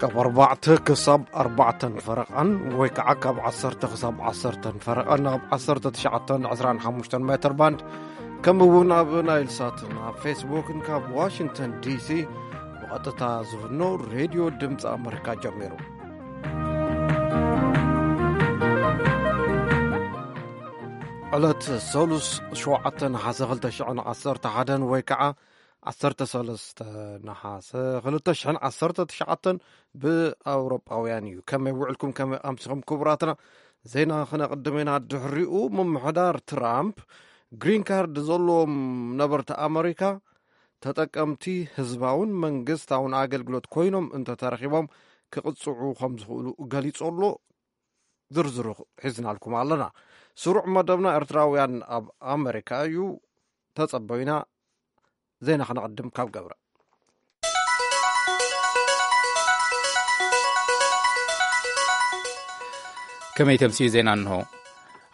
ካብ ኣርባዕተ ክሳብ ኣርባዕተን ፈረቓን ወይ ከዓ ካብ ዓሰርተ ክሳብ ዓሰርተን ፈረቓን ኣብ ዓሰርተ ትሽዓተን ዕስራን ሓሙሽተን ሜትር ባንድ፣ ከምኡ እውን ኣብ ናይል ሳትን ኣብ ፌስቡክን ካብ ዋሽንግተን ዲሲ ብቐጥታ ዝፍኖ ሬድዮ ድምፂ ኣመሪካ ጀሚሩ። ዕለት ሰሉስ ሸውዓተ ነሓሰ ክልተ ሽሕን ዓሰርተ ሓደን ወይ ከዓ ዓሰርተ ሰለስተ ነሓሰ ክልተ ሽሕን ዓሰርተ ትሽዓተን ብኣውሮጳውያን እዩ። ከመይ ውዕልኩም፣ ከመይ ኣምሲኹም ክቡራትና? ዜና ክነቕድም ኢና። ድሕሪኡ ምምሕዳር ትራምፕ ግሪን ካርድ ዘለዎም ነበርቲ ኣመሪካ ተጠቀምቲ ህዝባውን መንግስታውን ኣገልግሎት ኮይኖም እንተተረኺቦም ክቕጽዑ ከም ዝኽእሉ ገሊጹ ኣሎ። ዝርዝሩ ሒዝናልኩም ኣለና። ስሩዕ መደብና ኤርትራውያን ኣብ ኣመሪካ እዩ። ተጸበዩና። ዜና ክነቕድም ካብ ገብረ። ከመይ ተምስዩ ዜና እንሆ።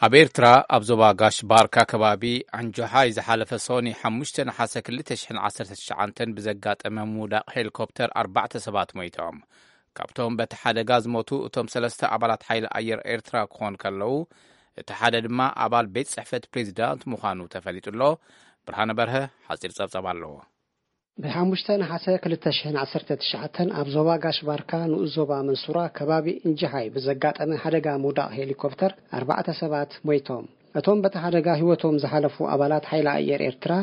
ኣብ ኤርትራ ኣብ ዞባ ጋሽ ባርካ ከባቢ ኣንጆሓይ ዝሓለፈ ሶኒ ሓሙሽተ ነሓሰ ክልተ ሽሕን ዓሰርተ ትሽዓተን ብዘጋጠመ ምውዳቕ ሄሊኮፕተር ኣርባዕተ ሰባት ሞይቶም። ካብቶም በቲ ሓደጋ ዝሞቱ እቶም ሰለስተ ኣባላት ሓይሊ ኣየር ኤርትራ ክኾኑ ከለዉ፣ እቲ ሓደ ድማ ኣባል ቤት ጽሕፈት ፕሬዚዳንት ምዃኑ ተፈሊጡ ኣሎ። ብርሃነ በርሀ ሓጺር ጸብጻብ ኣለዎ። ብ5 ነሓሰ ክልተ ሽሕን ዓሰርተ ትሽዓተን ኣብ ዞባ ጋሽ ባርካ ንኡስ ዞባ መንሱራ ከባቢ እንጅሓይ ብዘጋጠመ ሓደጋ ምውዳቕ ሄሊኮፕተር ኣርባዕተ ሰባት ሞይቶም። እቶም በቲ ሓደጋ ህይወቶም ዝሓለፉ ኣባላት ሓይሊ ኣየር ኤርትራ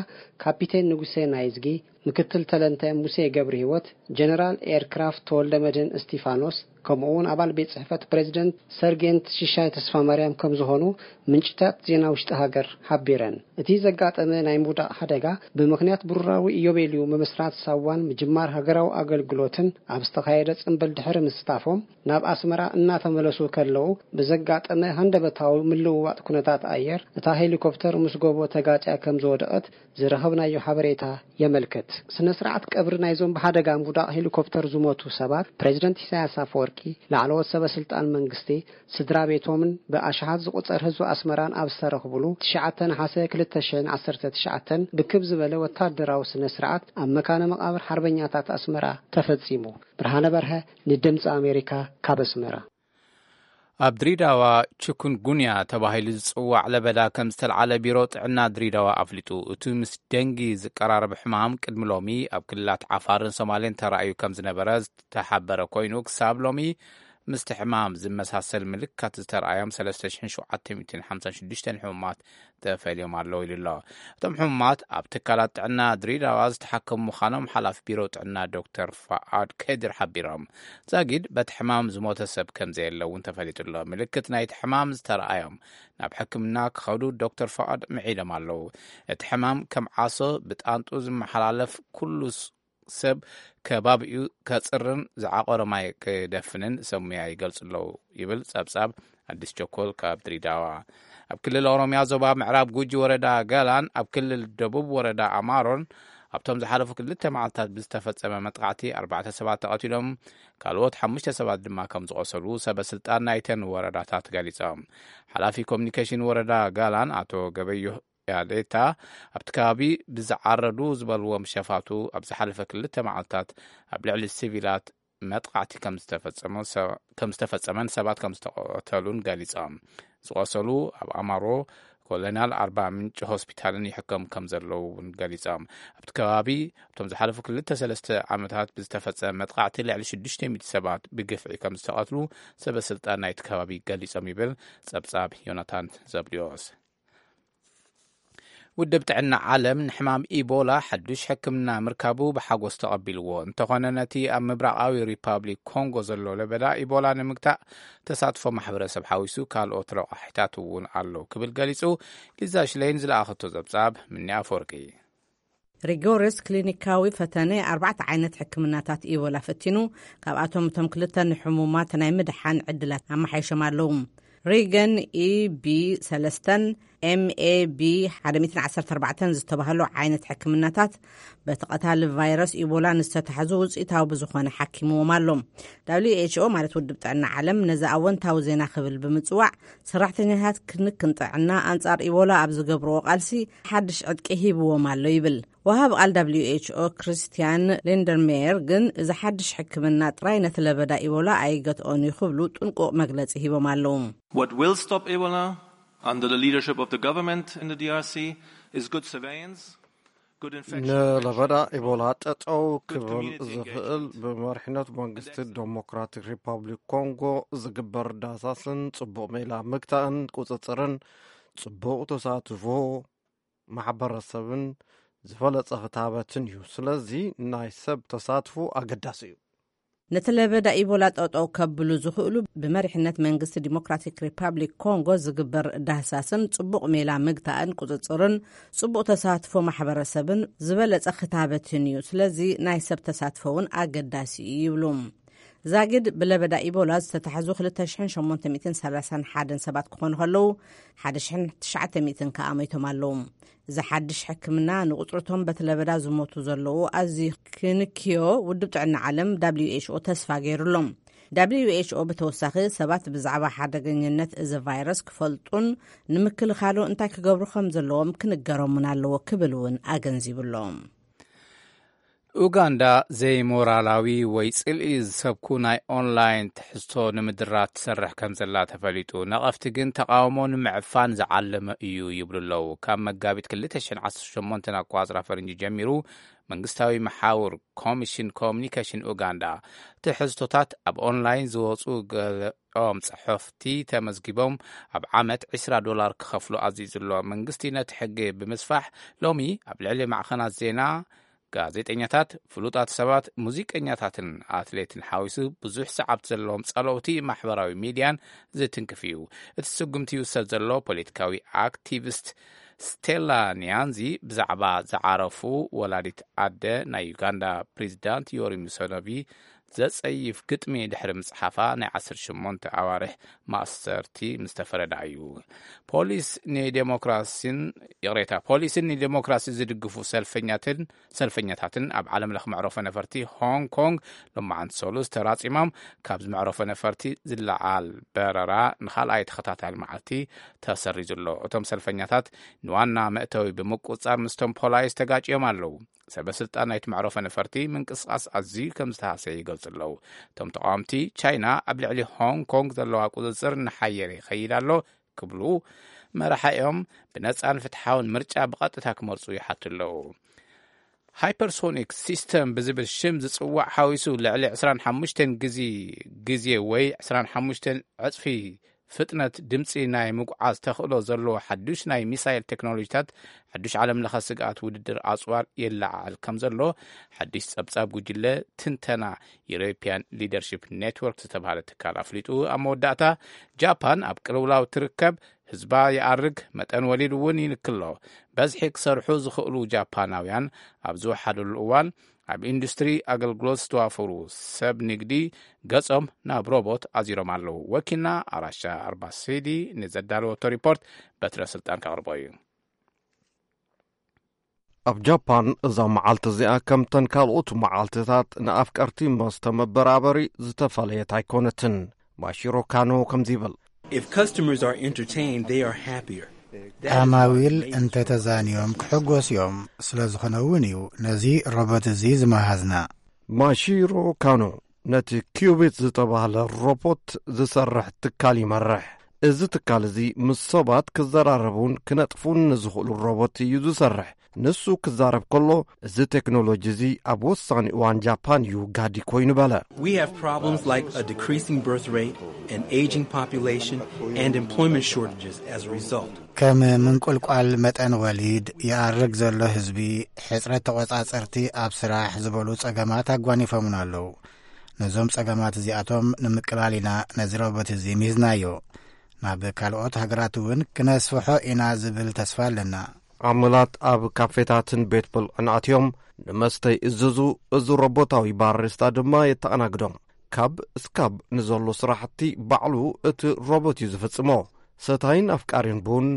ካፒቴን ንጉሴ ናይዝጊ፣ ምክትል ተለንተ ሙሴ ገብረ ህይወት፣ ጀነራል ኤርክራፍት ተወልደ መድህን እስቲፋኖስ፣ ከምኡ እውን ኣባል ቤት ጽሕፈት ፕሬዚደንት ሰርጌንት ሽሻይ ተስፋ ማርያም ከም ዝኾኑ ምንጭታት ዜና ውሽጢ ሃገር ሓቢረን። እቲ ዘጋጠመ ናይ ምውዳቕ ሓደጋ ብምኽንያት ብሩራዊ ኢዮቤልዩ ምምስራት ሳዋን ምጅማር ሃገራዊ ኣገልግሎትን ኣብ ዝተኻየደ ጽምብል ድሕሪ ምስታፎም ናብ ኣስመራ እናተመለሱ ከለዉ ብዘጋጠመ ሃንደበታዊ ምልውዋጥ ኩነታት ኣየር እታ ሄሊኮፕተር ምስ ጎቦ ተጋጭያ ከም ዝወደቐት ዝረኸብናዮ ሓበሬታ የመልክት። ስነ ስርዓት ቀብሪ ናይዞም ብሓደጋ ምውዳቕ ሄሊኮፕተር ዝሞቱ ሰባት ፕሬዚደንት ኢሳያስ ኣፈወርቂ፣ ላዕለዎት ሰበ ስልጣን መንግስቲ፣ ስድራ ቤቶምን ብኣሽሓት ዝቑጸር ህዝቢ ኣስመራን ኣብ ዝተረኽብሉ ትሽዓተ ነሓሰ ክልተ ሽሕን ዓሰርተ ትሽዓተን ብክብ ዝበለ ወታደራዊ ስነ ስርዓት ኣብ መካነ መቓብር ሓርበኛታት ኣስመራ ተፈጺሙ። ብርሃነ በርሀ ንድምፂ ኣሜሪካ ካብ ኣስመራ። ኣብ ድሪዳዋ ችኩንጉንያ ተባሂሉ ዝጽዋዕ ለበዳ ከም ዝተልዓለ ቢሮ ጥዕና ድሪዳዋ ኣፍሊጡ። እቲ ምስ ደንጊ ዝቀራረብ ሕማም ቅድሚ ሎሚ ኣብ ክልላት ዓፋርን ሶማሌን ተራእዩ ከም ዝነበረ ዝተሓበረ ኮይኑ፣ ክሳብ ሎሚ ምስቲ ሕማም ዝመሳሰል ምልክታት ዝተረኣዮም ሰለስተ ሽሕን ሸውዓተ ሚእትን ሓምሳን ሽዱሽተን ሕሙማት ተፈልዮም ኣለዉ ኢሉ ኣሎ። እቶም ሕሙማት ኣብ ትካላት ጥዕና ድሪዳዋ ዝተሓከሙ ምዃኖም ሓላፊ ቢሮ ጥዕና ዶክተር ፋኣድ ከድር ሓቢሮም። ዛጊድ በቲ ሕማም ዝሞተ ሰብ ከም ዘየለ እውን ተፈሊጡ ኣሎ። ምልክት ናይቲ ሕማም ዝተረኣዮም ናብ ሕክምና ክኸዱ ዶክተር ፋኣድ ምዒዶም ኣለዉ። እቲ ሕማም ከም ዓሶ ብጣንጡ ዝመሓላለፍ፣ ኩሉ ስ-፣ ሰብ ከባቢኡ ከጽርን ዝዓቆረ ማይ ክደፍንን ሰብ ሙያ ይገልጹ ኣለዉ ይብል ጸብጻብ ኣዲስ ቸኮል ካብ ድሪዳዋ። ኣብ ክልል ኦሮምያ ዞባ ምዕራብ ጉጂ ወረዳ ገላን ኣብ ክልል ደቡብ ወረዳ ኣማሮን ኣብቶም ዝሓለፉ ክልተ መዓልታት ብዝተፈጸመ መጥቃዕቲ ኣርባዕተ ሰባት ተቐቲሎም፣ ካልኦት ሓሙሽተ ሰባት ድማ ከም ዝቖሰሉ ሰበ ስልጣን ናይተን ወረዳታት ገሊጾም። ሓላፊ ኮሚኒኬሽን ወረዳ ጋላን ኣቶ ገበዮ ያሌታ ኣብቲ ከባቢ ብዝዓረዱ ዝበልዎም ሸፋቱ ኣብ ዝሓለፈ ክልተ መዓልታት ኣብ ልዕሊ ሲቪላት መጥቃዕቲ ከም ዝተፈጸመ፣ ሰ-፣ ከም ዝተፈጸመን ሰባት ከም ዝተቐተሉን ገሊጾም። ዝቆሰሉ ኣብ ኣማሮ ኮሎናል ኣርባ ምንጭ ሆስፒታልን ይሕከሙ ከም ዘለዉ እውን ገሊጾም። ኣብቲ ከባቢ ኣብቶም ዝሓለፉ ክልተ ሰለስተ ዓመታት ብዝተፈጸመ መጥቃዕቲ ልዕሊ ሽዱሽተ ሚእቲ ሰባት ብግፍዒ ከም ዝተቐትሉ ሰበ ስልጣን ናይቲ ከባቢ ገሊጾም ይብል ጸብጻብ ዮናታን ዘብድዮስ። ውድብ ጥዕና ዓለም ንሕማም ኢቦላ ሓዱሽ ሕክምና ምርካቡ ብሓጎስ ተቐቢልዎ። እንተኾነ ነቲ ኣብ ምብራቓዊ ሪፓብሊክ ኮንጎ ዘሎ ለበዳ ኢቦላ ንምግታእ ተሳትፎ ማሕበረሰብ ሓዊሱ ካልኦት ረቋሒታት እውን ኣሎ ክብል ገሊጹ። ሊዛ ሽሌን ዝለኣኸቶ ጸብጻብ ምኒ ኣፈወርቂ። ሪጎርስ ክሊኒካዊ ፈተነ ኣርባዕተ ዓይነት ሕክምናታት ኢቦላ ፈቲኑ፣ ካብኣቶም እቶም ክልተ ንሕሙማት ናይ ምድሓን ዕድላት ኣመሓይሾም ኣለዉ። ሪገን ኢቢ ሰለስተን ኤምኤቢ ሓደ ሚእትን ዓሰርተ ኣርባዕተን ዝተባህሉ ዓይነት ሕክምናታት በቲ ቀታሊ ቫይረስ ኢቦላ ንዝተታሕዙ ውፅኢታዊ ብዝኾነ ሓኪምዎም ኣሎ። ደብሊው ኤች ኦ ማለት ውድብ ጥዕና ዓለም ነዚ ኣወንታዊ ዜና ክብል ብምፅዋዕ፣ ሰራሕተኛታት ክንክን ጥዕና ኣንጻር ኢቦላ ኣብ ዝገብርዎ ቃልሲ ሓድሽ ዕጥቂ ሂብዎም ኣሎ ይብል። ወሃብ ቃል ደብሊው ኤች ኦ ክርስቲያን ሊንደርሜየር ግን እዚ ሓድሽ ሕክምና ጥራይ ነቲ ለበዳ ኢቦላ ኣይገትኦን እዩ ክብሉ ጥንቁቕ መግለጺ ሂቦም ኣለዉ። What will stop Ebola under the leadership of the government in the D R C is good surveillance, good infection ንለበዳ ኢቦላ ጠጠው ክብል ዝኽእል ብመሪሕነት መንግስቲ ዴሞክራቲክ ሪፓብሊክ ኮንጎ ዝግበር ዳህሳስን ጽቡቕ ሜላ ምግታእን ቁጽጽርን ጽቡቕ ተሳትፎ ማሕበረሰብን ዝበለጸ ክታበትን እዩ። ስለዚ ናይ ሰብ ተሳትፎ ኣገዳሲ እዩ። ነቲ ለበዳ ኢቦላ ጠጠው ከብሉ ዝኽእሉ ብመሪሕነት መንግስቲ ዲሞክራቲክ ሪፓብሊክ ኮንጎ ዝግበር ዳህሳስን ጽቡቕ ሜላ ምግታእን ቁጽጽርን ጽቡቕ ተሳትፎ ማሕበረሰብን ዝበለጸ ክታበትን እዩ። ስለዚ ናይ ሰብ ተሳትፎ እውን ኣገዳሲ እዩ ይብሉ። ዛጊድ ብለበዳ ኢቦላ ዝተታሕዙ ክልተ ሽሕን ሸሞንተ ሚእትን ሰላሳን ሓደን ሰባት ክኾኑ ከለዉ ሓደ ሽሕን ትሽዓተ ሚእትን ከኣ ሞይቶም ኣለዉ። እዚ ሓድሽ ሕክምና ንቁጽርቶም በቲ ለበዳ ዝሞቱ ዘለዉ ኣዝዩ ክንክዮ ውድብ ጥዕና ዓለም ደብሊው ኤች ኦ ተስፋ ገይሩሎም። ደብሊው ኤች ኦ ብተወሳኺ ሰባት ብዛዕባ ሓደገኝነት እዚ ቫይረስ ክፈልጡን ንምክልኻሉ እንታይ ክገብሩ ከም ዘለዎም ክንገሮምን ኣለዎ ክብል እውን ኣገንዚቡሎም። ኡጋንዳ ዘይሞራላዊ ወይ ጽልኢ ዝሰብኩ ናይ ኦንላይን ትሕዝቶ ንምድራት ትሰርሕ ከም ዘላ ተፈሊጡ። ነቐፍቲ ግን ተቓውሞ ንምዕፋን ዝዓለመ እዩ ይብሉ ኣለዉ። ካብ መጋቢት ክልተ ሽሕን ዓሰርተ ሸሞንተን ኣቋጽራ ፈረንጂ ጀሚሩ መንግስታዊ መሓውር ኮሚሽን ኮሚኒኬሽን ኡጋንዳ ትሕዝቶታት ኣብ ኦንላይን ዝወጹ ገለኦም ጽሑፍቲ ተመዝጊቦም ኣብ ዓመት ዕስራ ዶላር ክኸፍሉ ኣዚዙ ኣሎ። መንግስቲ ነቲ ሕጊ ብምስፋሕ ሎሚ ኣብ ልዕሊ ማዕኸናት ዜና ጋዜጠኛታት፣ ፍሉጣት ሰባት፣ ሙዚቀኛታትን ኣትሌትን ሓዊሱ ብዙሕ ሰዓብቲ ዘለዎም ጸለውቲ ማሕበራዊ ሚድያን ዝትንክፍ እዩ። እቲ ስጉምቲ ይውሰድ ዘሎ ፖለቲካዊ ኣክቲቪስት ስቴላ ኒያንዚ ብዛዕባ ዝዓረፉ ወላዲት ኣደ ናይ ዩጋንዳ ፕሬዚዳንት ዮሪ ሙሰኖቪ ዘጸይፍ ግጥሚ ድሕሪ ምጽሓፋ ናይ ዓሰርተ ሸሞንተ ኣዋርሕ ማእሰርቲ ምስ ተፈረዳ እዩ። ፖሊስ ንዴሞክራሲን ይቕሬታ ፖሊስን ንዴሞክራሲ ዝድግፉ ሰልፈኛትን ሰልፈኛታትን ኣብ ዓለም ለኽ መዕረፎ ነፈርቲ ሆንግ ኮንግ ሎማዓንቲ ሰሉስ ተራጺሞም። ካብዚ መዕረፎ ነፈርቲ ዝለዓል በረራ ንኻልኣይ ተኸታታሊ መዓልቲ ተሰሪዙ ኣሎ። እቶም ሰልፈኛታት ንዋና መእተዊ ብምቁጻር ምስቶም ፖላይስ ተጋጭዮም ኣለዉ። ሰበ ስልጣን ናይቲ መዕረፎ ነፈርቲ ምንቅስቃስ ኣዝዩ ከም ዝተሃሰየ ይገልጹ ኣለዉ። እቶም ተቃወምቲ ቻይና ኣብ ልዕሊ ሆንግ ኮንግ ዘለዋ ቁጽጽር እናሓየረ ይኸይድ ኣሎ ክብሉ መራሒኦም ብነጻን ፍትሓውን ምርጫ ብቐጥታ ክመርጹ ይሓቱ ኣለዉ። ሃይፐርሶኒክ ሲስተም ብዝብል ሽም ዝጽዋዕ ሓዊሱ ልዕሊ ዕስራን ሓሙሽተን ግዜ ግዜ ወይ ዕስራን ሓሙሽተን ዕጽፊ ፍጥነት ድምጺ ናይ ምጉዓዝ ተኽእሎ ዘለዎ ሓዱሽ ናይ ሚሳይል ቴክኖሎጂታት ሓዱሽ ዓለም ለኸ ስግኣት ውድድር ኣጽዋር የለዓዕል ከም ዘሎ ሓዱሽ ጸብጻብ ጉጅለ ትንተና ዩሮፒያን ሊደርሺፕ ኔትወርክ ዝተባህለ ትካል ኣፍሊጡ። ኣብ መወዳእታ ጃፓን ኣብ ቅልውላው ትርከብ፣ ህዝባ ይኣርግ፣ መጠን ወሊድ እውን ይንክሎ። በዝሒ ክሰርሑ ዝኽእሉ ጃፓናውያን ኣብ ዝወሓደሉ እዋን ኣብ ኢንዱስትሪ ኣገልግሎት ዝተዋፈሩ ሰብ ንግዲ ገጾም ናብ ሮቦት ኣዚሮም ኣለዉ። ወኪልና ኣራሻ ኣርባሲዲ ንዘዳለወቶ ሪፖርት በትረ ስልጣን ከቕርቦ እዩ። ኣብ ጃፓን እዛ መዓልቲ እዚኣ ከምተን ካልኦት መዓልትታት ንኣፍቀርቲ መስተ መበራበሪ ዝተፈለየት ኣይኮነትን። ማሺሮ ካኖ ከምዚ ይብል። If customers are entertained, they are happier. ዓማዊል እንተተዛንዮም ክሕጎስ እዮም። ስለ ዝኾነ እውን እዩ ነዚ ሮቦት እዚ ዝመሃዝና። ማሺሮ ካኖ ነቲ ኪዩቢት ዝተባህለ ሮቦት ዝሰርሕ ትካል ይመርሕ። እዚ ትካል እዚ ምስ ሰባት ክዘራረቡን ክነጥፉን ንዝኽእሉ ሮቦት እዩ ዝሰርሕ። ንሱ ክዛረብ ከሎ፣ እዚ ቴክኖሎጂ እዚ ኣብ ወሳኒ እዋን ጃፓን እዩ ጋዲ ኮይኑ በለ። We have problems like a decreasing birth rate, an aging population, and employment shortages as a result. ከም ምንቁልቋል መጠን ወሊድ፣ ይኣርግ ዘሎ ህዝቢ፣ ሕጽረት ተቖጻጸርቲ ኣብ ስራሕ ዝበሉ ጸገማት ኣጓኒፎምና ኣለዉ። ነዞም ጸገማት እዚኣቶም ንምቅላል ኢና ነዚ ሮቦት እዚ ሚዝናዮ። ናብ ካልኦት ሃገራት እውን ክነስፍሖ ኢና ዝብል ተስፋ ኣለና። ዓመላት ኣብ ካፌታትን ቤት ብልዕን ኣትዮም ንመስተ ይእዝዙ። እዚ ሮቦታዊ ባሪስታ ድማ የተኣናግዶም። ካብ እስካብ ንዘሎ ስራሕቲ ባዕሉ እቲ ሮቦት እዩ ዝፍጽሞ። ሰታይን ኣፍቃሪን ቡን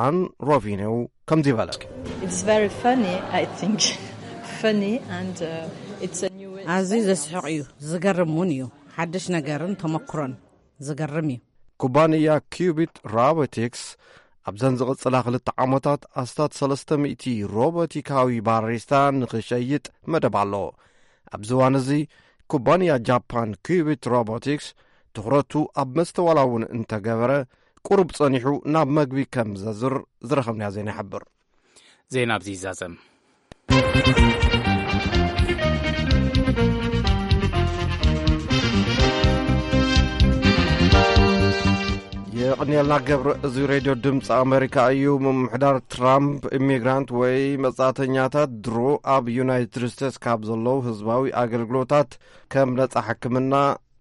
ኣን ሮቪኔው ከምዚ በለ። It's very funny, I think. Funny and uh, it's a new way. ኣዝዩ ዘስሕቕ እዩ፣ ዝገርም እውን እዩ። ሓድሽ ነገርን ተመክሮን ዝገርም እዩ። ኩባንያ ኪዩቢት ሮቦቲክስ ኣብዘን ዝቕጽላ ክልተ ዓመታት ኣስታት ሰለስተ ሚእቲ ሮቦቲካዊ ባሪስታ ንኽሸይጥ መደብ ኣሎ። ኣብዚ እዋን እዚ ኩባንያ ጃፓን ኪዩቢት ሮቦቲክስ ትኹረቱ ኣብ መስተዋላ እውን እንተገበረ፣ ቁሩብ ጸኒሑ ናብ መግቢ ከም ዘዝር ዝረኸብናዮ ዜና ይሕብር። ዜና ኣብዚ ይዛዘም። የቕንየልና ገብረ። እዚ ሬድዮ ድምፂ ኣሜሪካ እዩ። ምምሕዳር ትራምፕ ኢሚግራንት ወይ መጻእተኛታት ድሮ ኣብ ዩናይትድ ስቴትስ ካብ ዘለዉ ህዝባዊ ኣገልግሎታት ከም ነጻ ሕክምና፣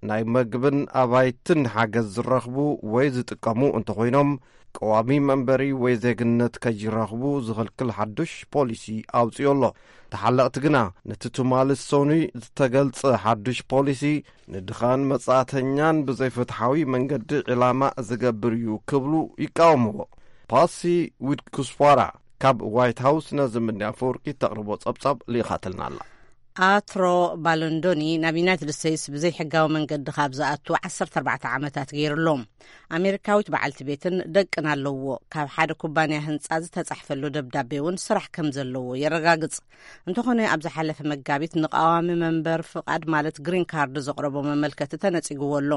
ናይ መግብን ኣባይትን ሓገዝ ዝረኽቡ ወይ ዝጥቀሙ እንተኾይኖም፣ ቀዋሚ መንበሪ ወይ ዜግነት ከይረኽቡ ዝኽልክል ሓዱሽ ፖሊሲ ኣውጺኡ ኣሎ። ተሓለቕቲ ግና ነቲ ትማሊ ሰኑይ ዝተገልጸ ሓዱሽ ፖሊሲ ንድኻን መጻእተኛን ብዘይፍትሓዊ መንገዲ ዒላማ ዝገብር እዩ ክብሉ ይቃወምዎ። ፓሲ ዊድኩስዋራ ካብ ዋይት ሃውስ ነዚ ምንዲ ኣፈወርቂ ተቕርቦ ጸብጻብ ልኢኻትልና ኣላ። ኣትሮ ባሎንዶኒ ናብ ዩናይትድ ስቴትስ ብዘይሕጋዊ መንገዲ ካብ ዝኣቱ ዓሰርተ ኣርባዕተ ዓመታት ገይሩ ኣሎ። ኣሜሪካዊት በዓልቲ ቤትን ደቅን ኣለዎ። ካብ ሓደ ኩባንያ ህንጻ ዝተጻሕፈሉ ደብዳቤ እውን ስራሕ ከም ዘለዎ የረጋግጽ። እንተኾነ ኣብ ዝሓለፈ መጋቢት ንቃዋሚ መንበር ፍቓድ ማለት ግሪን ካርድ ዘቕረቦ መመልከቲ ተነጺግዎ ኣሎ።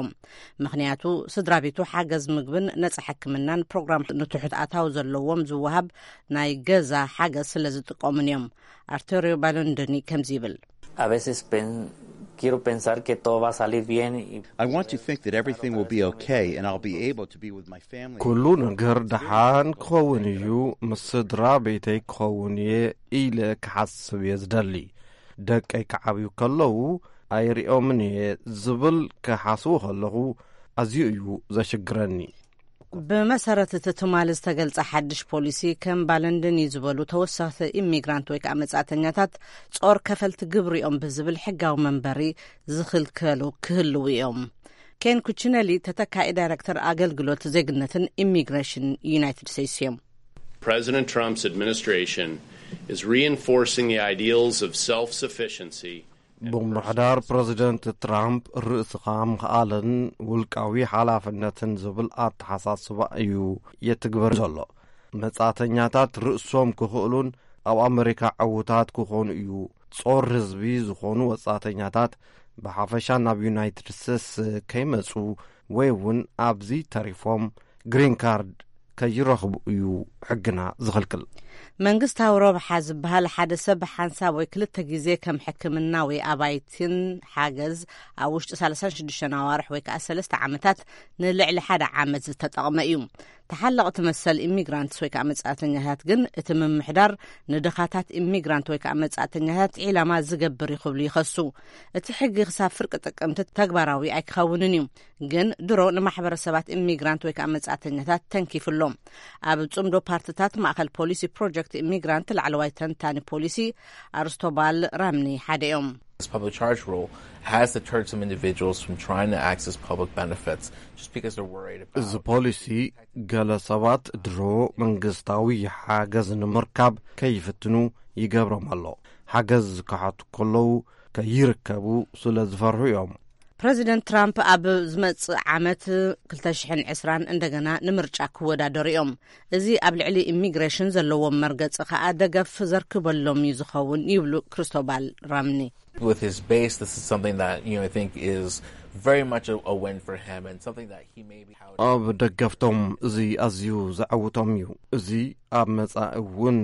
ምኽንያቱ ስድራ ቤቱ ሓገዝ ምግብን ነጻ ሕክምናን ፕሮግራም ንትሑት ኣታዊ ዘለዎም ዝወሃብ ናይ ገዛ ሓገዝ ስለ ዝጥቀሙን እዮም። ኣርተሪዮ ባሎንዶኒ ከምዚ ይብል። A veces pen- quiero pensar que todo va a salir bien y I want to think that everything will be okay and I'll be able to be with my family. ኩሉ ነገር ደሓን ክኸውን እዩ፣ ምስ ስድራ ቤተይ ክኸውን እየ ኢለ ክሓስብ እየ ዝደሊ። ደቀይ ክዓብዩ ከለዉ ኣይሪኦምን እየ ዝብል ክሓስቡ ከለኹ ኣዝዩ እዩ ዘሽግረኒ። ብመሰረት እቲ ትማሊ ዝተገልጸ ሓድሽ ፖሊሲ፣ ከም ባለንድኒ ዝበሉ ተወሰኽቲ ኢሚግራንት ወይ ከዓ መጻእተኛታት ጾር ከፈልቲ ግብሪ እዮም ብዝብል ሕጋዊ መንበሪ ዝኽልከሉ ክህልዉ እዮም። ኬን ኩችነሊ ተተካኢ ዳይረክተር ኣገልግሎት ዜግነትን ኢሚግሬሽን ዩናይትድ ስቴትስ እዮም። President Trump's administration is reinforcing the ideals of self-sufficiency. ብምምሕዳር ፕረዚደንት ትራምፕ ርእስኻ ምኽኣልን ውልቃዊ ሓላፍነትን ዝብል ኣተሓሳስባ እዩ የትግበር ዘሎ። መጻእተኛታት ርእሶም ክኽእሉን ኣብ ኣመሪካ ዕዉታት ክኾኑ እዩ። ጾር ህዝቢ ዝኾኑ ወጻእተኛታት ብሓፈሻ ናብ ዩናይትድ ስቴትስ ከይመጹ ወይ እውን ኣብዚ ተሪፎም ግሪን ካርድ ከይረኽቡ እዩ ሕግና ዝኽልክል። መንግስታዊ ረብሓ ዝበሃል ሓደ ሰብ ሓንሳብ ወይ ክልተ ግዜ ከም ሕክምና ወይ ኣባይትን ሓገዝ ኣብ ውሽጢ ሰላሳን ሽዱሽተን ኣዋርሕ ወይ ከዓ ሰለስተ ዓመታት ንልዕሊ ሓደ ዓመት ዝተጠቕመ እዩ። ተሓለቕቲ መሰል ኢሚግራንትስ ወይ ከዓ መጻእተኛታት ግን እቲ ምምሕዳር ንድኻታት ኢሚግራንት ወይ ከዓ መጻእተኛታት ዒላማ ዝገብር እዩ ክብሉ ይኸሱ። እቲ ሕጊ ክሳብ ፍርቂ ጥቅምቲ ተግባራዊ ኣይክኸውንን እዩ። ግን ድሮ ንማሕበረሰባት ኢሚግራንት ወይ ከዓ መጻእተኛታት ተንኪፉ ኣሎ። ኣብ ጽምዶ ፓርትታት ማእኸል ፖሊሲ ፕሮጀክት ኢሚግራንት ላዕለዋይ ተንታኒ ፖሊሲ ኣርስቶባል ራምኒ ሓደ እዮም። This public charge rule has deterred some individuals from trying to access public benefits just because they're worried about እዚ ፖሊሲ ገለ ሰባት ድሮ መንግስታዊ ሓገዝ ንምርካብ ከይፍትኑ ይገብሮም ኣሎ። ሓገዝ ክሓቱ ከለዉ ከይርከቡ ስለ ዝፈርሑ እዮም። ፕረዚደንት ትራምፕ ኣብ ዝመጽእ ዓመት ክልተ ሽሕን ዕስራን እንደገና ንምርጫ ክወዳደሩ እዮም። እዚ ኣብ ልዕሊ ኢሚግሬሽን ዘለዎም መርገጺ ከኣ ደገፍ ዘርክበሎም እዩ ዝኸውን ይብሉ ክሪስቶባል ራምኒ። With his base, this is something that, you know, I think is very much a, a win for him and something that he maybe how ኣብ ደገፍቶም እዚ ኣዝዩ ዘዐውቶም እዩ። እዚ ኣብ መጻኢ እውን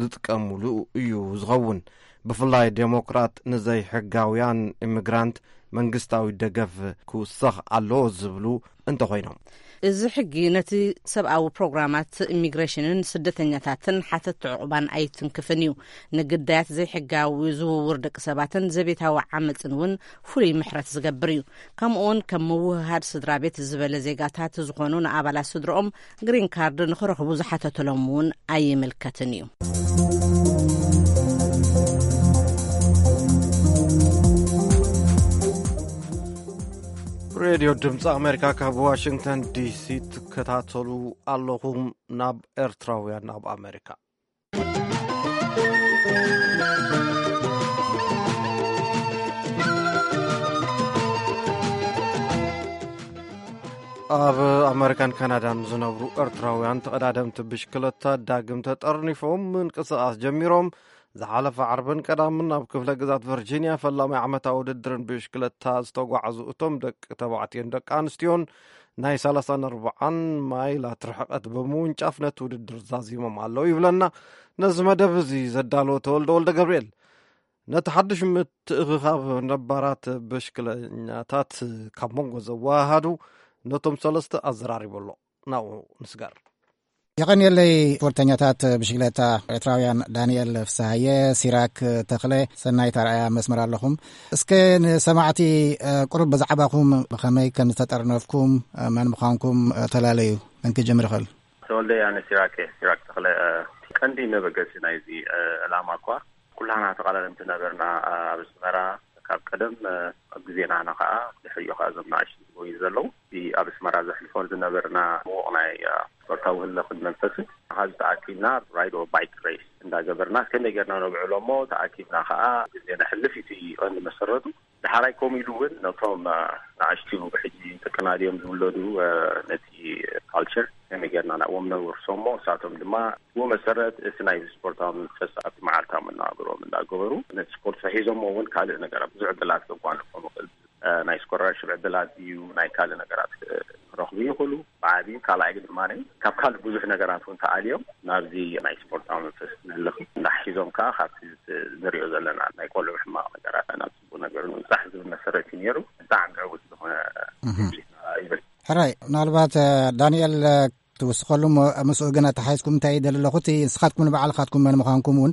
ዝጥቀሙሉ እዩ ዝኸውን። ብፍላይ ዴሞክራት ንዘይሕጋውያን ኢሚግራንት መንግስታዊ ደገፍ ክውሰኽ ኣለዎ ዝብሉ እንተኾይኖም። እዚ ሕጊ ነቲ ሰብኣዊ ፕሮግራማት ኢሚግሬሽንን ስደተኛታትን ሓተት ዕቑባን ኣይትንክፍን እዩ። ንግዳያት ዘይሕጋዊ ዝውውር ደቂ ሰባትን ዘቤታዊ ዓመፅን እውን ፍሉይ ምሕረት ዝገብር እዩ። ከምኡውን ከም ምውህሃድ ስድራ ቤት ዝበለ ዜጋታት ዝኾኑ ንኣባላት ስድርኦም ግሪን ካርድ ንኽረኽቡ ዝሓተተሎም እውን ኣይምልከትን እዩ። ሬድዮ ድምፂ ኣሜሪካ ካብ ዋሽንግተን ዲሲ ትከታተሉ ኣለኹም። ናብ ኤርትራውያን ኣብ ኣሜሪካ። ኣብ ኣመሪካን ካናዳን ዝነብሩ ኤርትራውያን ተቐዳደምቲ ብሽክለታ ዳግም ተጠርኒፎም ምንቅስቓስ ጀሚሮም። ዝሓለፈ ዓርብን ቀዳምን ኣብ ክፍለ ግዛት ቨርጂንያ ፈላማይ ዓመታዊ ውድድርን ብሽክለታ ዝተጓዕዙ እቶም ደቂ ተባዕትዮን ደቂ ኣንስትዮን ናይ ሰላሳን ኣርባዓን ማይላት ርሕቐት ብምውንጫፍ ነቲ ውድድር ዛዚሞም ኣለዉ ይብለና ነዚ መደብ እዚ ዘዳለወ ተወልደ ወልደ ገብርኤል። ነቲ ሓድሽ ምትእኽኻብ ነባራት ብሽክለኛታት ካብ መንጎ ዘወሃሃዱ ነቶም ሰለስተ ኣዘራሪቡ ኣሎ። ናብኡ ንስገር። የቐንየለይ። ስፖርተኛታት ብሽክለታ ኤርትራውያን ዳንኤል ፍስሃየ፣ ሲራክ ተኽለ፣ ሰናይት ኣርኣያ መስመር ኣለኹም። እስከ ንሰማዕቲ፣ እ፣ ቁሩብ ብዛዕባኹም፣ ብኸመይ ከም ዝተጠርነፍኩም፣ እ፣ መን ምዃንኩም፣ እ፣ ተላለዩ። መን ክጅምር ይኽእል? ተወልደ፣ ኣነ ሲራክ እየ፣ ሲራክ ተኽለ። እ፣ ቀንዲ መበገሲ ናይዚ፣ እ፣ ዕላማ እኳ ኩላና ተቓዳደምቲ ነበርና፣ እ፣ ኣብ ኣስመራ ካብ ቀደም፣ እ፣ ኣብ ግዜና ኸዓ ድሕሪኡ ኸዓ እዞም ንኣሽቱ ዝጎዩ ዘለዉ። እቲ ኣብ ኣስመራ ዘሕልፎ ዝነበርና ምዉቕ ናይ፣ እ፣ ስፖርታዊ ህልኽን መንፈስን፣ ኣብዚ ተኣኪብና ራይድ ኦር ባይክ ሬስ እንዳገበርና ከመይ ጌርና ነብዕሎ እሞ ተኣኪብና ኸዓ ግዜ ነሕልፍ እዩ እቲ ቀንዲ መሰረቱ። ደሓራይ ከምኡ ኢሉ እውን ነቶም፣ እ፣ ንኣሽቱ ሕጂ ተቀናድዮም ዝውለዱ፣ እ፣ ነቲ ካልቸር ከመይ ጌርና ናብኦም ነውርሶ እሞ እሳቶም ድማ ብኡ መሰረት እቲ ናይ ስፖርታዊ መንፈስ ኣብቲ መዓልታዊ መነባብሮም እንዳገበሩ ነቲ ስፖርት ሒዞሞ እውን ካልእ ነገራት ብዙሕ ዕድላት ከጓንፎም ይኽእል። እ፣ ናይ ስኮላርሽፕ ዕድላት እዩ፣ ናይ ካልእ ነገራት ክረኽቡ ይኽእሉ። ብዓብዩ ካልኣይ ድማ ካብ ካልእ ብዙሕ ነገራት እውን ተኣልዮም ናብዚ ናይ ስፖርታዊ መንፈስ ንህልኽ እንዳሒዞም ከዓ ካብቲ ንሪኦ ዘለና ናይ ቆልዑ ሕማቕ ነገራት ናብ ጽቡቕ ነገር ንምብጻሕ ዝብል መሰረት እዩ ነይሩ። ብጣዕሚ ዕዉት ዝኾነ እህ። ዝግጅት ይብል። ሕራይ፣ ምናልባት፣ እ፣ ዳንኤል፣ እ፣ ትውስኸሉ እሞ ምስኡ ግን ኣተሓሒዝኩም እንታይ ይደሊ ኣለኹ፣ እቲ ንስኻትኩም ንባዕልኻትኩም መን ምዃንኩም እውን፣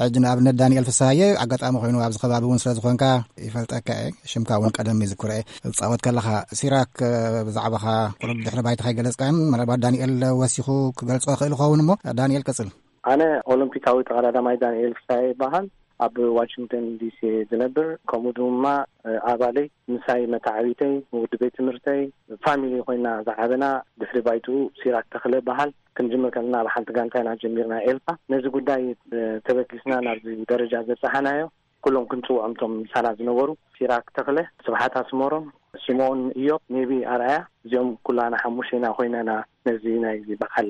ሕጂ ንኣብነት ዳንኤል ፍስሃየ ኣጋጣሚ ኮይኑ ኣብዚ ከባቢ እውን ስለ ዝኾንካ ይፈልጠካ እየ፣ ሽምካ እውን ቀደም ይዝክሮ እየ። ትጻወት ከለኻ ሲራክ፣ እ፣ ብዛዕባኻ ቁሩብ ድሕሪ ባይታ ከይገለጽካን ምናልባት ዳንኤል ወሲኹ ክገልጾ ይኽእል ይኸውን እሞ ዳንኤል ቀጽል። ኣነ ኦሎምፒካዊ ተቐዳዳማይ ዳንኤል ፍስሃየ ይበሃል። ኣብ ዋሽንግተን ዲሲ ዝነብር፣ ከምኡ ድማ፣ እ፣ ኣባለይ፣ ምሳይ መተዓቢተይ፣ ውዲ ቤት ትምህርተይ፣ ፋሚሊ ኮይና ዝዓበና። ድሕሪ ባይትኡ ሲራክ ተኽለ በሃል። ክንጅምር ከለና ኣብ ሓንቲ ጋንታ ኢና ጀሚርና ኤልፓ። ነዚ ጉዳይ፣ እ፣ ተበጊስና ናብዚ ደረጃ ዘብጽሓናዮ ኩሎም ክንጽውዖም እቶም ምሳና ዝነበሩ፣ ሲራክ ተኽለ፣ ስብሓት ኣስመሮም፣ ስምኦን እዮብ፣ ሜቢ ኣርኣያ፣ እዚኦም ኩላና ሓሙሽተ ኢና ኮይና ኢና ነዚ ናይዚ በዓል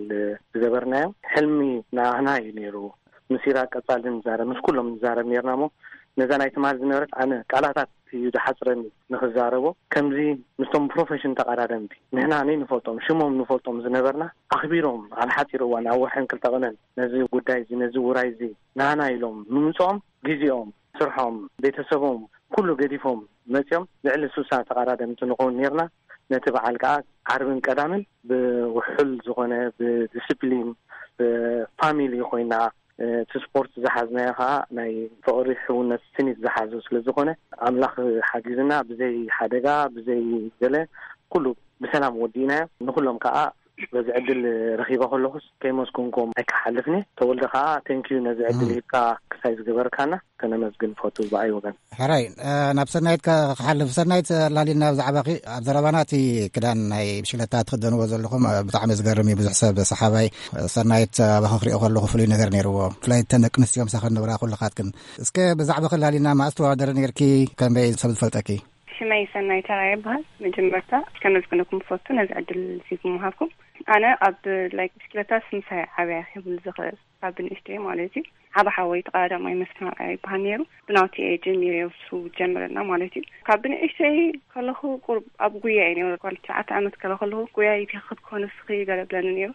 ዝገበርናዮ። ሕልሚ ናህና እዩ ነይሩ። ምስ ኢራቅ ቀጻሊ ንዛረብ፣ ምስ ኩሎም ንዛረብ ነይርና እሞ ነዛ ናይ ትማል ዝነበረት ኣነ ቃላታት እዩ ዝሓጽረኒ ንኽዛረቦ። ከምዚ ምስቶም ፕሮፌሽን ተቐዳደምቲ ንሕና ነይንፈልጦም ሽሞም ንፈልጦም ዝነበርና ኣኽቢሮም ኣብ ሓጺር እዋን ኣብ ወርሕን ክልተ ቅነን ነዚ ጉዳይ እዚ ነዚ ውራይ እዚ ናህና ኢሎም ምምጽኦም ግዜኦም ስርሖም ቤተሰቦም ኩሉ ገዲፎም መጺኦም ልዕሊ ስሳ ተቐዳደምቲ ንኸውን ነይርና። ነቲ በዓል ከኣ ዓርብን ቀዳምን ብውሑል ዝኾነ ብዲስፕሊን ብፋሚሊ ኮይና እቲ ስፖርት ዝሓዝናዮ ከኣ ናይ ፍቕሪ ሕውነት ስኒት ዝሓዞ ስለ ዝኾነ ኣምላኽ ሓጊዝና ብዘይ ሓደጋ ብዘይ ገለ ኩሉ ብሰላም ወዲእናዮ። ንኹሎም ከኣ በዚ ዕድል ረኺበ ከለኹስ ከይመስገንኩም ኣይክሓልፍን እየ። ተወልደ ከኣ ቴንኪዩ ነዚ ዕድል ሂብካ ክሳይ ዝገበርካና ከነመስግን ፈቱ ብኣይ ወገን። ሕራይ ናብ ሰናይት ክሓልፍ። ሰናይት ላሊና ብዛዕባኺ ኣብ ዘረባና እቲ ክዳን ናይ ብሽክለታ ትኽደንዎ ዘለኹም ብጣዕሚ ዝገርም እዩ። ብዙሕ ሰብ ሰሓባይ ሰናይት ኣባኺ ክሪኦ ከለኹ ፍሉይ ነገር ነይርዎ። ብፍላይ እተን ደቂ ኣንስትዮ ምሳኺ ንብራ ኩልኻትክን። እስከ ብዛዕባኺ ላሊና መኣስ ትወዳደሪ ነይርኪ? ከመይ ሰብ ዝፈልጠኪ? ሽመይ ሰናይ ተራየ ይበሃል። መጀመርታ ከመስግነኩም ፈቱ ነዚ ዕድል እዚ ብምሃብኩም። ኣነ ኣብ ላይክ ብሽክለታስ ምሳይ ዓብያ ክብል ዝኽእል ካብ ብንእሽተይ ማለት እዩ። ዓብ ሓወይ ተቐዳዳማይ መስፍን ኣርኣያ ይበሃል ነይሩ። ብናቱ እየ ጀሚረ እሱ ጀምረና ማለት እዩ። ካብ ብንእሽተይ ከለኹ ቁሩብ ኣብ ጉያ እየ ነይሩ። ጓል ትሽዓተ ዓመት ከለ ከለኹ ጉያ ይትኸድ ኮነ ስኺ ገለ ብለኒ ነይሩ።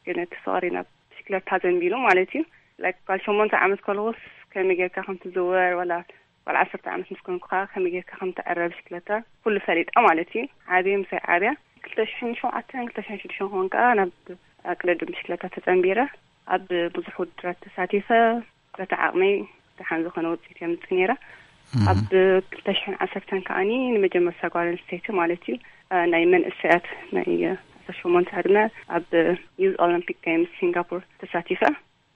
ግን እቲ ፍቕሪ ናብ ብሽክለታ ዘንቢሉ ማለት እዩ። ላይክ ጓል ሸሞንተ ዓመት ከለኹስ ከመይ ጌርካ ከም ትዝወር ዋላ ጓል ዓሰርተ ዓመት ምስ ኮንኩ ከኣ ከመይ ጌርካ ከም ትዕረ ብሽክለታ ኩሉ ፈሊጠ ማለት እዩ። ዓብየ ምሳይ ዓብያ ክልተ ሽሕን ሸውዓተን ክልተ ሽሕን ሽዱሽተን ክኾን ከኣ ናብ ኣቅደድም ብሽክለታ ተጸንቢረ ኣብ ብዙሕ ውድድራት ተሳቲፈ በቲ ዓቕመይ ደሓን ዝኾነ ውጽኢት የምጽእ ነይረ። ኣብ ክልተ ሽሕን ዓሰርተን ከኣኒ ንመጀመርታ ጓል ኣንስተይቲ ማለት እዩ፣ እ፣ ናይ መንእሰያት ናይ፣ እ፣ ዓሰርተ ሸሞንተ ዕድመ ኣብ ዩዝ ኦሎምፒክ ጌምስ ሲንጋፖር ተሳቲፈ።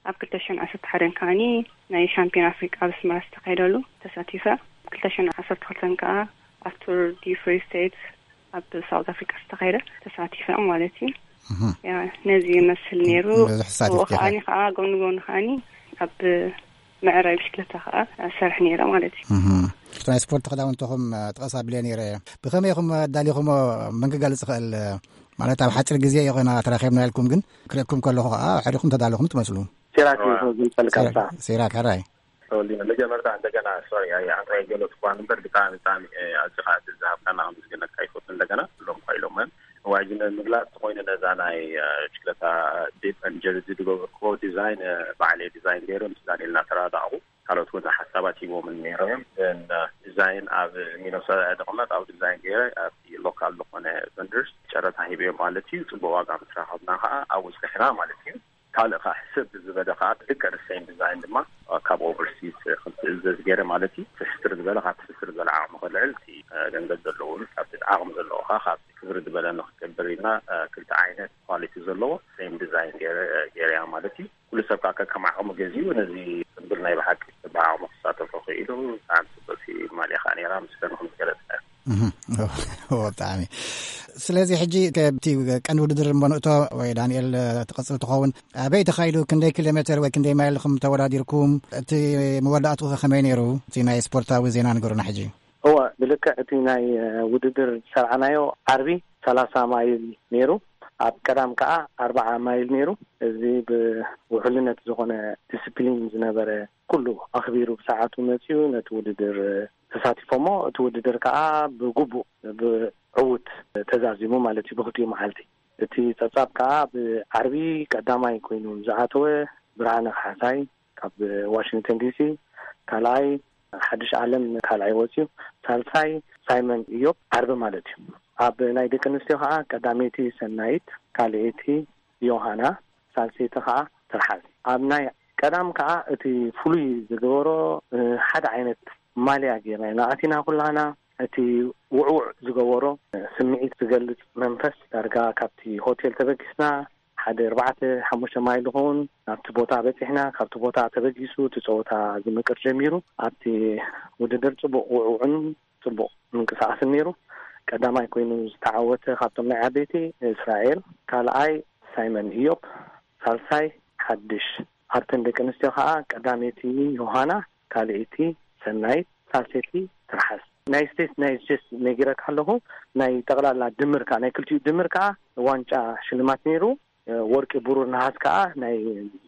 ኣብ ክልተ ሽሕን ዓሰርተ ሓደን ከኣኒ ናይ ሻምፒዮን ኣፍሪቃ ኣብ ኣስመራ ዝተኻየደሉ ተሳቲፈ። ኣብ ክልተ ሽሕን ዓሰርተ ክልተን ከኣ ኣብ ቱር ዲ ፍሪ ስቴት ኣብ ሳውት ኣፍሪቃ ዝተኻየደ ተሳቲፈ ማለት እዩ። እህ። ያ፣ ነዚ ይመስል ነይሩ። ብዙሕ ተሳቲፍኪ ብኡ ኢኺ። ከኣኒ ከኣ ጎኒ ጎኒ ከኣኒ ኣብ ምዕራይ ብሽክለታ ከኣ ሰርሕ ነይረ ማለት እዩ። እህ። እቲ ናይ ስፖርት ክዳውንትኹም፣ እ፣ ጥቐስ ኣቢለ ነይረ። ብኸመይ ኢኹም ኣዳሊኹሞ? መን ክገልጽ ይኽእል? ማለት ኣብ ሓፂር ግዜ ይኾና ተራኺብና ኢልኩም፣ ግን ክርእኩም ከለኹ ከዓ ሕሪኹም ተዳለኹም ትመስሉ። ሲራክ እዩ። እዋ። ዝፈልካ። ሲራክ፣ ሲራክ፣ ሕራይ። ተወልዲነ፣ መጀመርታ እንደገና ሶሪ፣ ኣይ፣ ኣንታ የገለጽኩ እኳ እምበር ብጣዕሚ፣ ብጣዕሚ፣ እ፣ ኣዝኻ ዕድል ዝሃብካና ከምዝግነካ ይፈቱ። እንደገና ኩሎም እኳ ኢሎም፣ እዋጅ ንምግላጽ ተኾይኑ ነዛ ናይ፣ እ፣ ብሽክለታ ዲፕ ኤንድ ጀርዚ ዝገበርክዎ ዲዛይን፣ እ፣ ባዕለይ ዲዛይን ገይረ ምስ ዳንኤል እናተራዳእኹ፣ ካልኦት እውን ሓሳባት ሂቦምን ነይሮም እዮም። ን ዲዛይን ኣብ ሚነሶታ እየ ዝቕመጥ፣ ኣብ ዲዛይን ገይረ ኣብቲ ሎካል ዝኾነ ቨንደርስ ጨረታ ሂበዮም ማለት እዩ። ጽቡቕ ዋጋ ምስ ረኸብና ከዓ ኣብኡ ጽኒሕና ማለት እዩ። ካልእ ከዓ ሕስብ ዝበለ ከዓ ደቂ ኣንስተይን ዲዛይን ድማ ካብ ኦቨርሲስ ከም ትእዘዝ ገይረ ማለት እዩ። ፍሕስር ዝበለ ካብ ፍሕስር ዝበለ ዓቕሚ ከልዕል እቲ፣ እ፣ ገንዘብ ዘለዎ እውን ካብቲ ዓቕሚ ዘለዎ ከዓ ካብ ክብር ዝበለ ንክገብር ኢልና፣ እ፣ ክልተ ዓይነት ኳሊቲ ዘለዎ ሴም ዲዛይን ገይረ፣ እ፣ ገይረያ ማለት እዩ። ኩሉ ሰብ ከዓ ከከም ዓቕሙ ገዚኡ ነዚ ጽምብል ናይ ብሓቂ ብዓቕሙ ክሳተፎ ክኢሉ ብጣዕሚ ጽብቕቲ ማልያ ከዓ ነይራ፣ ምስጋና ከም ዝገለጽ እህ፣ ብጣዕሚ። ስለዚ ሕጂ ከብቲ ቀንዲ ውድድር እሞ ንእቶ ወይ ዳንኤል ትቐጽል ትኸውን፣ ኣበይ ተኻይዱ፣ ክንደይ ኪሎ ሜትር ወይ ክንደይ ማይል ኢኹም ተወዳዲርኩም፣ እቲ መወዳእትኡ ከ ከመይ ነይሩ? እቲ ናይ ስፖርታዊ ዜና ንገሩና ሕጂ። እወ፣ ብልክዕ እቲ ናይ፣ እ፣ ውድድር ዝሰርዓናዮ ዓርቢ ሰላሳ ማይል ነይሩ። ኣብ ቀዳም ከኣ ኣርብዓ ማይል ነይሩ። እዚ ብውሕልነት ዝኾነ ዲስፕሊን ዝነበረ፣ ኩሉ ኣኽቢሩ ብሰዓቱ መጺኡ ነቲ ውድድር ተሳቲፎሞ፣ እቲ ውድድር ከኣ ብግቡእ ብዕዉት ተዛዚሙ ማለት እዩ ብኽልቲኡ መዓልቲ። እቲ ጸብጻብ ከኣ ብዓርቢ ቀዳማይ ኮይኑ ዝኣተወ ብርሃነ ካሕሳይ ካብ ዋሽንግተን ዲሲ፣ ካልኣይ ሓድሽ ኣለም ካልኣይ ወጺኡ፣ ሳልሳይ ሳይመን ኢዮብ ዓርቢ ማለት እዩ። ኣብ ናይ ደቂ ኣንስትዮ ከኣ ቀዳመይቲ ሰናይት፣ ካልኣይቲ ዮሃና፣ ሳልሰይቲ ከኣ ትርሓስ። ኣብ ናይ ቀዳም ከኣ እቲ ፍሉይ ዝገበሮ፣ እ፣ ሓደ ዓይነት ማልያ ጌርና ኢና ኣቲና ኩላና። እቲ ውዕውዕ ዝገበሮ፣ እ፣ ስምዒት ዝገልጽ መንፈስ ዳርጋ ካብቲ ሆቴል ተበጊስና ሓደ ኣርባዕተ ሓሙሽተ ማይል ዝኸውን ናብቲ ቦታ በጺሕና። ካብቲ ቦታ ተበጊሱ እቲ ጸወታ ዝምቅር ጀሚሩ። ኣብቲ ውድድር ጽቡቕ ውዕውዕን ጽቡቕ ምንቅስቓስን ነይሩ። ቀዳማይ ኮይኑ ዝተዓወተ ካብቶም ናይ ዓበይቲ እስራኤል፣ ካልኣይ ሳይመን ኢዮብ፣ ሳልሳይ ሓድሽ። ኣብተን ደቂ ኣንስትዮ ከኣ ቀዳመይቲ ዮሃና፣ ካልኣይቲ ሰናይት፣ ሳልሰይቲ ትርሓስ። ናይ ስቴት ናይ ጀስ ነጊረካ ኣለኹ። ናይ ጠቕላላ ድምር ከኣ፣ ናይ ክልቲኡ ድምር ከኣ ዋንጫ ሽልማት ነይሩ። ወርቂ፣ ብሩር፣ ነሃስ ከኣ ናይ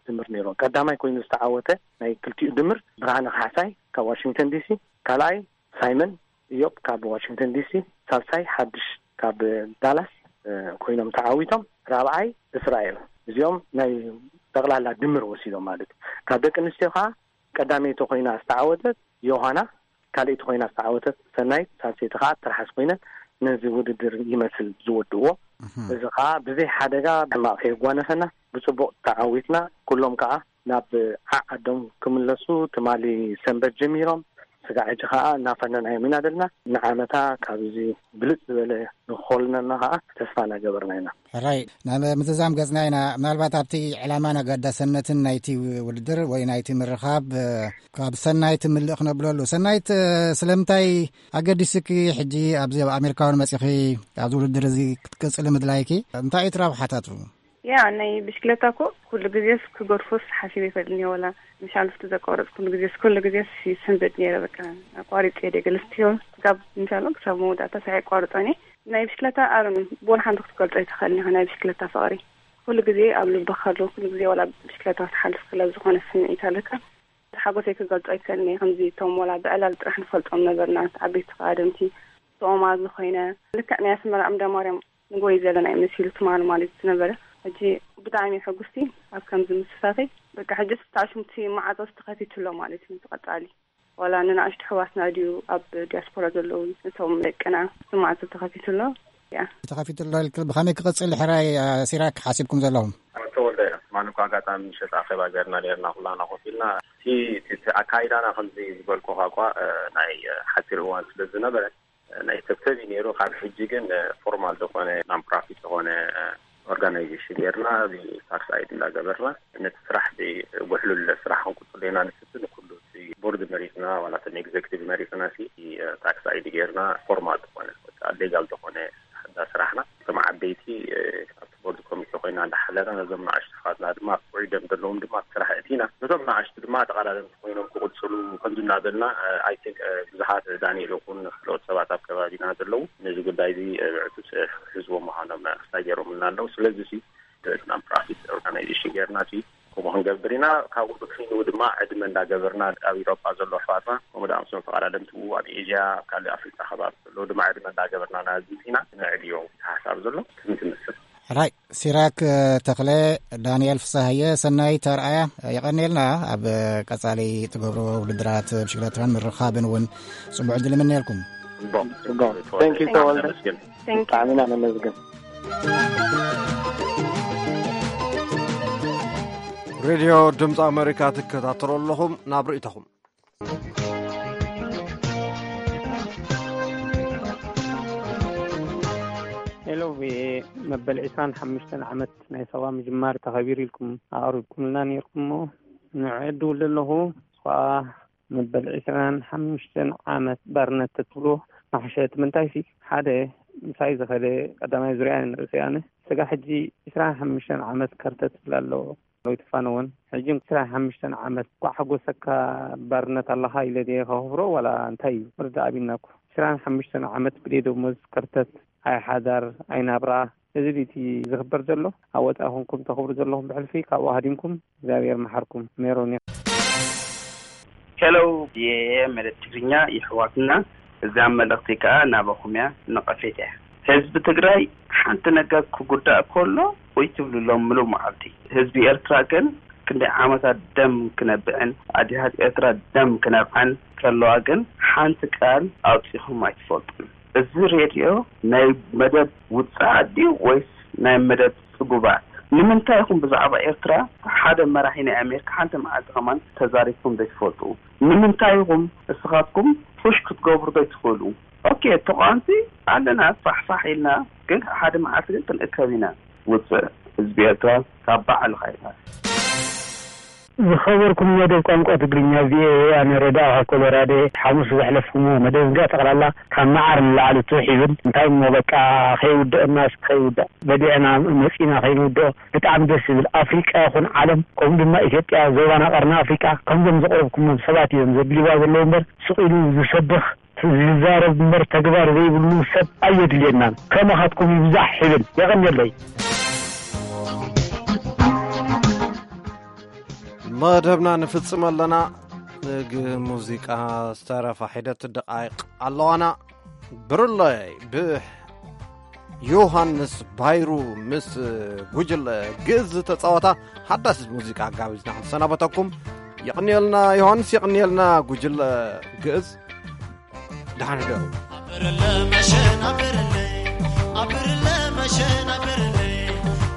ድምር ነይሩ። ቀዳማይ ኮይኑ ዝተዓወተ ናይ ክልቲኡ ድምር ብርሃነ ካሕሳይ ካብ ዋሽንግተን ዲሲ፣ ካልኣይ ሳይመን ኢዮብ ካብ ዋሽንግተን ዲሲ፣ ሳልሳይ ሓድሽ ካብ ዳላስ፣ እ፣ ኮይኖም ተዓዊቶም፣ ራብዓይ እስራኤል። እዚኦም ናይ ጠቕላላ ድምር ወሲዶም ማለት እዩ። ካብ ደቂ ኣንስትዮ ከኣ ቀዳመይቲ ኮይና ዝተዓወተት ዮሃና፣ ካልኣይቲ ኮይና ዝተዓወተት ሰናይት፣ ሳልሰይቲ ከኣ ትርሓስ ኮይነን ነዚ ውድድር ይመስል ዝወድእዎ። እህ። እዚ ከኣ ብዘይ ሓደጋ ሕማቕ ከየጓነፈና ብጽቡቕ ተዓዊትና፣ ኩሎም ከኣ ናብ ዓዓዶም ክምለሱ ትማሊ ሰንበት ጀሚሮም፣ ስጋዕ ሕጂ ከኣ እናፈነናዮም ኢና ዘለና። ንዓመታ ካብዚ ብልጽ ዝበለ ንክኾልነና ከኣ ተስፋ እናገበርና ኢና። ሕራይ፣ ናብ ምዝዛም ገጽና ኢና። ምናልባት ኣብቲ ዕላማን ኣገዳሰነትን ናይቲ ውድድር ወይ ናይቲ ምርኻብ፣ እ፣ ካብ ሰናይት ምልእ ክነብለሉ። ሰናይት፣ እ፣ ስለምንታይ ኣገዲስኪ ሕጂ ኣብዚ ኣብ ኣሜሪካ እውን መጺኺ ኣብዚ ውድድር እዚ ክትቅጽሊ ምድላይኪ? እንታይ እዩ እቲ ረብሓታቱ? ያ፣ ናይ ብሽክለታ እኮ ኩሉ ግዜስ ክገድፎስ ሓሲበ ይፈልጥን እየ፣ ወላ መሻልፍቲ ዘቋረጽ ኩሉ ግዜስ፣ ኩሉ ግዜስ ይስንብድ ነይረ። በቃ ኣቋሪጸ እየ ደገ ልስትዮ ክሳብ፣ እንሻላ ክሳብ መወዳእታ ሳይ ኣቋርጾ እየ። ናይ ብሽክለታ ኣሮን ብወላ ሓንቲ ክትገልጾ ኣይትኽእልን ኢኻ፣ ናይ ብሽክለታ ፍቕሪ ኩሉ ግዜ ኣብ ልብኻ ኣሎ። ኩሉ ግዜ ወላ ብሽክለታ ክትሓልፍ ከላ ዝኾነ ስምዒት ኣለካ። ሓጎሰይ ክገልጾ ኣይክእልን እየ። ከምዚ እቶም ወላ ብዕላል ጥራሕ ንፈልጦም ነበርና፣ ዓበይቲ ቀዳድምቲ፣ ተኦማዝ ዝኾይነ፣ ልክዕ ናይ ኣስመራ ዕምዳ ማርያም ንጎይ ዘለና እዩ መሲሉ ትማሊ ማለት ዝነበረ። ሕጂ ብጣዕሚ ሕጉስቲ ኣብ ከምዚ ምስታፈይ። በቃ ሕጂ ስታሽምቲ ማዕጾ ዝተኸፊቱ ኣሎ ማለት እዩ። እቲ ቀጻሊ ዋላ ንንኣሽቱ ኣሕዋትና ድዩ ኣብ ዲያስፖራ ዘለዉ፣ እቶም ደቅና እቲ ማዕጾ ተኸፊቱ ኣሎ። ያ። ተኸፊቱ ኣሎ ኢልክ ብኸመይ ክቕጽል ሕራይ፣ እ፣ ሲራክ ሓሲብኩም ዘለኹም? ተወልደ፣ ትማሊ እኮ ኣጋጣሚ ምሸት ኣኼባ ገርና ነርና ኩላና ኮፍ ኢልና። እቲ፣ እቲ፣ እቲ ኣካይዳና ከምዚ ዝበልኩኻ እኳ፣ እ፣ ናይ፣ እ፣ ሓጺር እዋን ስለ ዝነበረ፣ እ፣ ናይ ተብተብ እዩ ነይሩ። ካብ ሕጂ ግን፣ እ፣ ፎርማል ዝኾነ፣ ናን ፕራፊት ዝኾነ፣ እ፣ ኦርጋናይዜሽን ገርና፣ እዚ ታክስ ኣይዲ እንዳገበርና፣ ነቲ ስራሕ እዚ ውሕሉል ስራሕ ክንቅጽሎ ኢና ንፍትን። ኩሉ እቲ ቦርድ መሪጽና፣ ዋላ እቶም ኤግዜክቲቭ መሪጽና፣ ሲ፣ እ፣ ታክስ ኣይዲ ገርና፣ ፎርማል ዝኾነ፣ ወይ ከዓ ሌጋል ዝኾነ እንዳ ስራሕና፣ እቶም ዓበይቲ፣ እ፣ ኣብቲ ቦርድ ኮሚቴ ኮይና እንዳሓለና፣ ነዞም ንኣሽቱ ስኻትና ድማ ኣብ ውዒዶም ዘለዎም ድማ ኣብ ስራሕ እቲና። ነቶም ንኣሽቱ ድማ ተቐዳደምቲ ኮይኖም ክቕፅሉ ከምዚ እናበልና፣ I think ብዙሓት ዳንኤል ይኹን ካልኦት ሰባት ኣብ ከባቢና ዘለዉ ነዚ ጉዳይ እዚ ብዕቱብ ህዝቦም ምዃኖም ክሳይ ገይሮምልና ኣለዉ። ስለዚ ሲ ናን ፕሮፊት ኦርጋናይዜሽን ጌርና ሲ ከምኡ ክንገብር ኢና። ካብኡ ብክፊሉ ድማ ዕድመ እንዳገበርና ኣብ ኢሮጳ ዘሎ ኣሕዋትና ከምኡ ደኣ ምስሎም ተቐዳደምቲ ኣብ ኤዥያ ኣብ ካልእ ኣፍሪቃ ከባቢ ዘለዉ ድማ ዕድመ እንዳገበርና ናዚ ኢና ነዕብዮ። ሓሳብ ዘሎ ከምዚ ትመስል። ሕራይ ሲራክ ተኽለ፣ ዳንኤል ፍሳሃየ፣ ሰናይ ተርኣያ፣ የቐንየልና። ኣብ ቀጻሊ ትገብሮ ውድድራት ብሽክለታን ምርኻብን እውን ጽቡዕ ዕድል እምነየልኩም። ጽቡቕ። ጽቡቕ። Thank you ተወልደ። ነመስግን። Thank you። ብጣዕሚ ኢና ነመስግን። ሬድዮ ድምፂ ኣሜሪካ ትከታተሉ ኣለኹም። ናብ ርእይቶኹም። ሄሎ ቪኦኤ፣ መበል ዕስራን ሓሙሽተን ዓመት ናይ ሳዋ ምጅማር ተኸቢሩ ኢልኩም ኣቕሪብኩምልና ነይርኩም እሞ፣ ንዕኡ እድውል ኣለኹ። ንሱ ኸኣ መበል ዕስራን ሓሙሽተን ዓመት ባርነት ተትብሎ መሓሸ። እቲ ምንታይሲ፣ ሓደ ምሳይ ዝኸደ ቀዳማይ ዙርያ ንርእሰይ ኣነ፣ ስጋ ሕጂ ዕስራን ሓሙሽተን ዓመት ከርተት ይብል ኣሎ። ወይ ትፋነወን፣ ሕጂ ዕስራን ሓሙሽተን ዓመት፣ እንኳዕ ሓጎሰካ፣ ባርነት ኣለኻ ኢለ ድየ ከኽብሮ ዋላ እንታይ እዩ? ወርዲ ኣቢና እኮ። ዕስራን ሓሙሽተን ዓመት ብደይ ደሞዝ ከርተት፣ ኣይ ሓዳር፣ ኣይ ናብራ። እዚ ድዩ እቲ ዝኽበር ዘሎ? ኣብ ወጻኢ ኮንኩም ተኽብሩ ዘለኹም ብሕልፊ ካብኡ ሃዲምኩም፣ እግዚኣብሔር መሓርኩም። ሜሮን እየ። ሄሎ፣ ቪኦኤ መደብ ትግርኛ የሕዋትና፣ እዛ መልእኽቲ ከኣ ናባኹም እያ፣ ነቐፌት እያ። ህዝቢ ትግራይ ሓንቲ ነገር ክጉዳእ ከሎ ወይ ትብልሎም ምሉእ መዓልቲ። ህዝቢ ኤርትራ ግን ክንደይ ዓመታት ደም ክነብዕን ኣዴታት ኤርትራ ደም ክነብዓን ከለዋ ግን ሓንቲ ቃል ኣውጺኹም ኣይትፈልጡን። እዚ ሬድዮ ናይ መደብ ውጽዓት ድዩ ወይስ ናይ መደብ ጽጉባት? ንምንታይ ኢኹም ብዛዕባ ኤርትራ ሓደ መራሒ ናይ ኣሜሪካ ሓንቲ መዓልቲ ከማን ተዛሪብኩም ዘይትፈልጡ? ንምንታይ ኢኹም እስኻትኩም ፑሽ ክትገብሩ ዘይትኽእሉ? ኦኬ፣ ተቃወምቲ ኣለና፣ ፋሕፋሕ ኢልና፣ ግን ሓደ መዓልቲ ግን ክንእከብ ኢና። ውጽእ ህዝቢ ኤርትራ ካብ በዓል ኻይና። ዝኸበርኩም መደብ ቋንቋ ትግርኛ ቪኦኤ፣ ኣነ ረዳእኻ ኮሎራዶ፣ ሓሙስ ዘሕለፍኩምዎ መደብ እንዳ ጠቕላላ ካብ መዓር ንላዕሊ ትውሕ ይብል። እንታይ እሞ በቃ ከይውድአናስ ከይውዳእ በዲዕና መጺና ከይንውድኦ። ብጣዕሚ ደስ ዝብል። ኣፍሪቃ ይኹን ዓለም፣ ከምኡ ድማ ኢትዮጵያ፣ ዞባና ቀርኒ ኣፍሪቃ፣ ከምዞም ዘቕረብኩሞም ሰባት እዮም ዘድልይዋ ዘለዉ እምበር፣ ስቕ ኢሉ ዝሰብኽ ዝዛረብ እምበር ተግባር ዘይብሉ ሰብ ኣየድልየናን። ከማኻትኩም ይብዛሕ ይብል። የቐንየለይ። መደብና ንፍጽም ኣለና። ንግ ሙዚቃ ዝተረፋ ሒደት ደቃይቕ ኣለዋና። ብርለይ ብዮሃንስ ባይሩ ምስ ጉጅለ ግእዝ ዝተጻወታ ሓዳስ ሙዚቃ ኣጋቢዝና ክንሰናበተኩም። የቕንየልና ዮሃንስ፣ የቕንየልና ጉጅለ ግእዝ። ደሓን ሕደሩ። ኣብርለ መሸን ኣብርለ፣ ኣብርለ መሸን ኣብርለ፣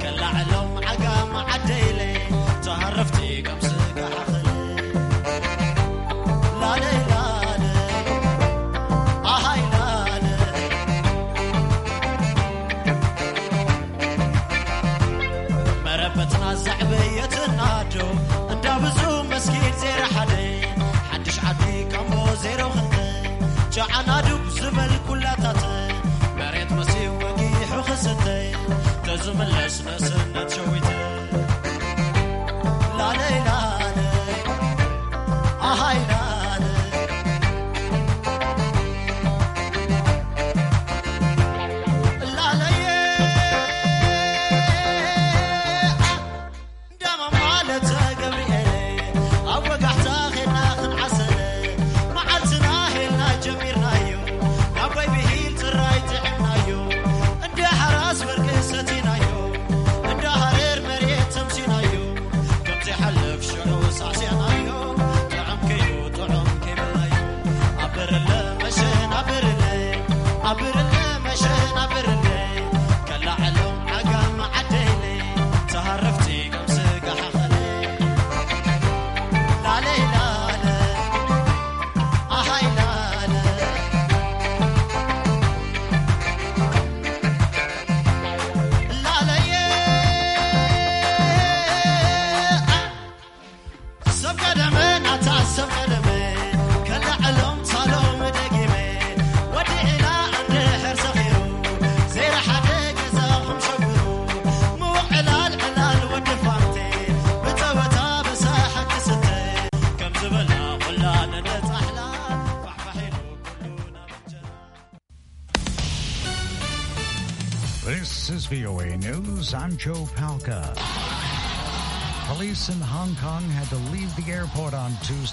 ከላዕሎም ዓጋም ዓደይለ፣ ተሃረፍቲ ከም ስጋ ሓኽለ። ላለይ ላለ፣ ኣሃይ ላለ። መረበትና ዘዕበየትና ዶ፣ እንዳ ብዙ መስጊድ ዜሮ ሓደ፣ ሓድሽ ዓዲ ካምቦ ዜሮ ክልተ፣ ጨዓና ዱብ ዝበል ኩላታት፣ መሬት መሲው ወጊሑ ክስተ፣ ተዝምለስ ነስነት ሸዊተ። ላለይ ላለ፣ ኣሃይ ላለ። ላለየ፣ እንዳመ ማለት ገብርኤል፣ ኣብ ወጋሕታ ኼድና ክንዓሰለ፣ መዓልትና ሄልና ጀሚርናዮ፣ ናብ ወይ ብሂል ጥራይ ጥዕምናዮ፣ እንደ ሓራስ ወርቂ ሰቲናዮ፣ እንደ ሃረር መሬት ተምሲናዮ፣ ከምቲ ሓልፍ ሽዑ ሳዕሲዕናዮ፣ ጥዑም ከይኑ ጥዑም ከይበልናዮ። ኣብርለ መሸን ኣብርለ፣ ኣብርለ መሸን ኣብርለ፣ ከላዕሎም ዓጋመ ዓደይለ፣ ተሃረፍቲ ከም ስጋ ሓኸለ። ላለይ ላለ፣ ኣሃይ ላለ፣ ላለየ፣ ሰብ ቀደመ ናታ ሰብ ቀደመ፣ ከላዕሎም ሳሎም ደጊመ፣ ወዲ ዒላ እንድሕር ሰኺሩ፣ ዘይረ ሓደ ገዛኹም ሸጉሩ፣ ምውቕ ዕላል ዕላል ወዲ ፋንቴ፣ ብጸወታ ብሳሓቂ This is V O A News. I'm Joe Palca. Police in Hong Kong had to leave the airport on Tuesday